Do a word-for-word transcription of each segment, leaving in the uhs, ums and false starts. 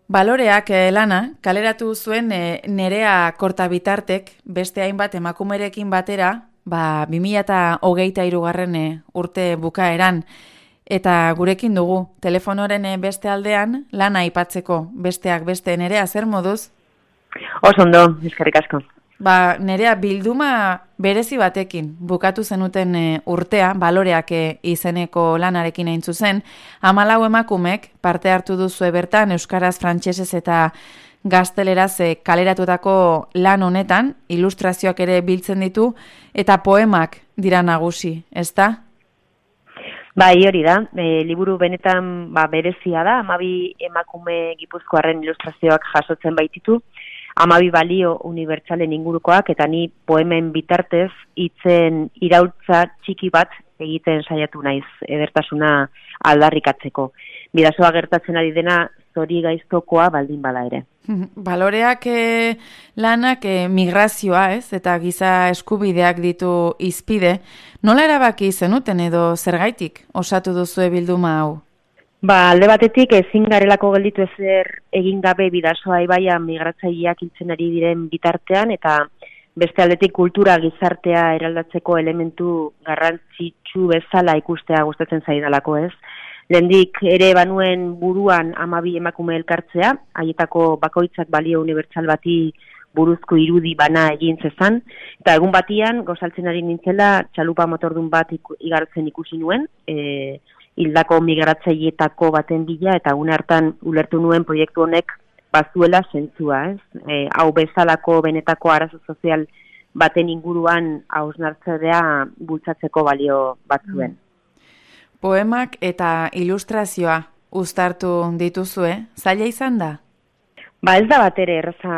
Baloreak eh, lana, kaleratu zuen eh, Nerea Kortabitartek beste hainbat emakumerekin batera, ba, bi mila hogeita hirugarren eh, urte bukaeran, eta gurekin dugu, telefonoren eh, beste aldean, lana aipatzeko besteak beste. Nerea, zer moduz? Oso ondo, eskerrik asko. Ba, Nerea, bilduma berezi batekin bukatu zenuten e, urtea, Baloreak e, izeneko lanarekin hain zuzen, hamalau emakumek parte hartu duzue bertan euskaraz, frantsesez eta gazteleraz e, kaleratutako lan honetan, ilustrazioak ere biltzen ditu eta poemak dira nagusi, ezta? Bai, hori da, e, liburu benetan ba, berezia da, hamabi emakume gipuzkoarren ilustrazioak jasotzen baititu, hamabi balio unibertsalen ingurukoak, eta ni poemen bitartez hitzen iraultza txiki bat egiten saiatu naiz edertasuna aldarrikatzeko. Bidasoa gertatzen ari dena zori gaiztokoa baldin bada ere. Baloreak e, lanak e, migrazioa, ez? Eta giza eskubideak ditu hizpide. Nola erabaki zenuten edo zergaitik osatu duzue bilduma hau? Ba, alde batetik ezin garelako gelditu ezer egin gabe Bidasoa ibaia migratzaileak hiltzen ari diren bitartean, eta beste aldetik kultura gizartea eraldatzeko elementu garrantzitsu bezala ikustea gustatzen zaidalako, ez? Lehendik ere banuen buruan hamabi emakume elkartzea, haietako bakoitzak balio unibertsal bati buruzko irudi bana egin zezan, eta egun batian gozaltzen ari nintzela txalupa motordun bat iku, igartzen ikusi nuen, e, hildako migratzaileetako baten bila, eta une hartan ulertu nuen proiektu honek bazuela zentzua, ez? E, hau bezalako benetako arazo sozial baten inguruan hausnartzea bultzatzeko balio batzuen. Poemak eta ilustrazioa uztartu dituzue, zaila izan da? Ba, ez da bat ere erraza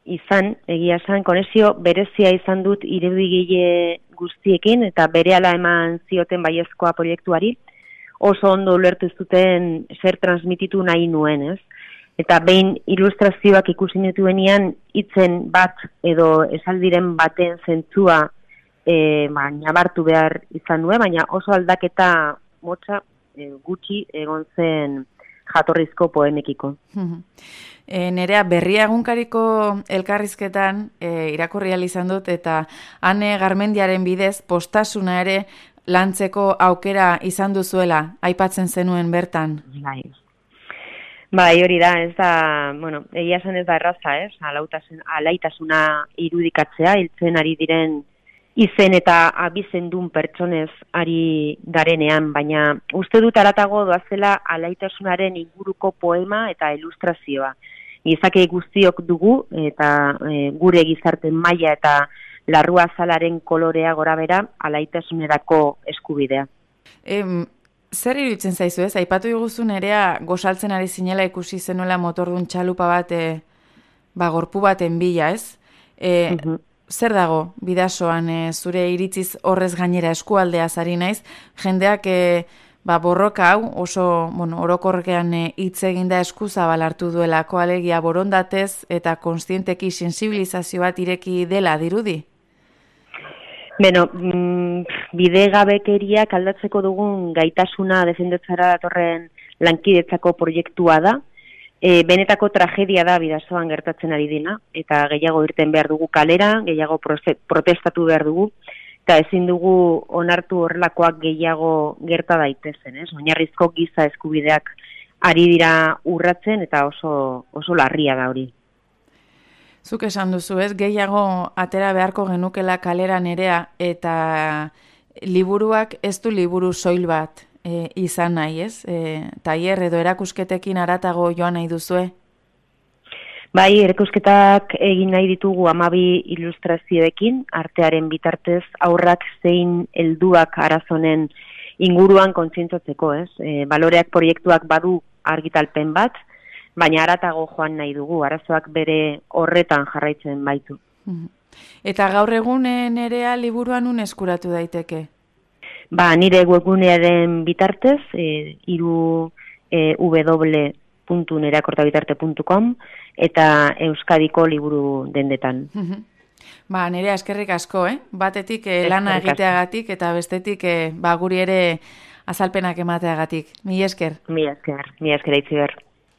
izan, egia esan, konexio berezia izan dut irudigile guztiekin, eta berehala eman zioten baiezkoa proiektuari, oso ondo ulertu zuten zer transmititu nahi nuen, ez? Eta behin ilustrazioak ikusi nituenean hitzen bat edo esaldiren baten zentzua e, ba, nabartu behar izan nuen, baina oso aldaketa motza e, gutxi egon zen jatorrizko poemekiko. E, Nerea, Berria egunkariko elkarrizketan e, irakurri ahal izan dut, eta Ane Garmendiaren bidez postasuna ere lantzeko aukera izan duzuela, aipatzen zenuen bertan. Bai. Bai, hori da, ez da, bueno, egia esan ez da erraza, ez? Alautasun, alaitasuna irudikatzea, hiltzen ari diren izen eta abizendun pertsonez ari garenean, baina uste dut aratago doazela alaitasunaren inguruko poema eta ilustrazioa. Gizake guztiok dugu, eta e, gure gizarte maila eta larrua azalaren kolorea gora bera, alaitasunerako eskubidea. E, zer iruditzen zaizu, ez? Aipatu diguzu Nerea gozaltzen ari zinela ikusi zenuela motordun txalupa bat, e, ba, gorpu baten bila, ez? E, uh-huh. Zer dago Bidasoan, e, zure iritziz horrez gainera eskualdea zari naiz, jendeak e, ba, borroka hau oso bueno, orokorrean hitz e, eginda eskuzabal hartu duelako, alegia borondatez eta konstienteki sensibilizazio bat ireki dela dirudi? Beno, mm, bidegabekeriak aldatzeko dugun gaitasuna defendetzara datorren lankidetzako proiektua da. E, benetako tragedia da Bidasoan gertatzen ari dena, eta gehiago irten behar dugu kalera, gehiago protestatu behar dugu, eta ezin dugu onartu horrelakoak gehiago gerta daitezen, ez? Oinarrizko giza eskubideak ari dira urratzen, eta oso, oso larria da hori. Zuk esan duzu, ez? Gehiago atera beharko genukela kalera Nerea, eta liburuak ez du liburu soil bat e, izan nahi, ez? E, tailer edo erakusketekin haratago joan nahi duzue? Bai, erakusketak egin nahi ditugu hamabi ilustrazioekin, artearen bitartez aurrak zein helduak arazonen inguruan kontzientzatzeko, ez? E, Baloreak proiektuak badu argitalpen bat, baina haratago joan nahi dugu, arazoak bere horretan jarraitzen baitu. Eta gaur egun Nerea liburuan un eskuratu daiteke? Ba, nire webgunearen bitartez, e, iru e, w puntu nereakortabitarte puntu com eta Euskadiko liburu dendetan. Ba, Nerea, eskerrik asko, eh? Batetik eh, lana egiteagatik eta bestetik eh, ba, guri ere azalpenak emateagatik. Mi esker. Mi esker, mi esker eitziber.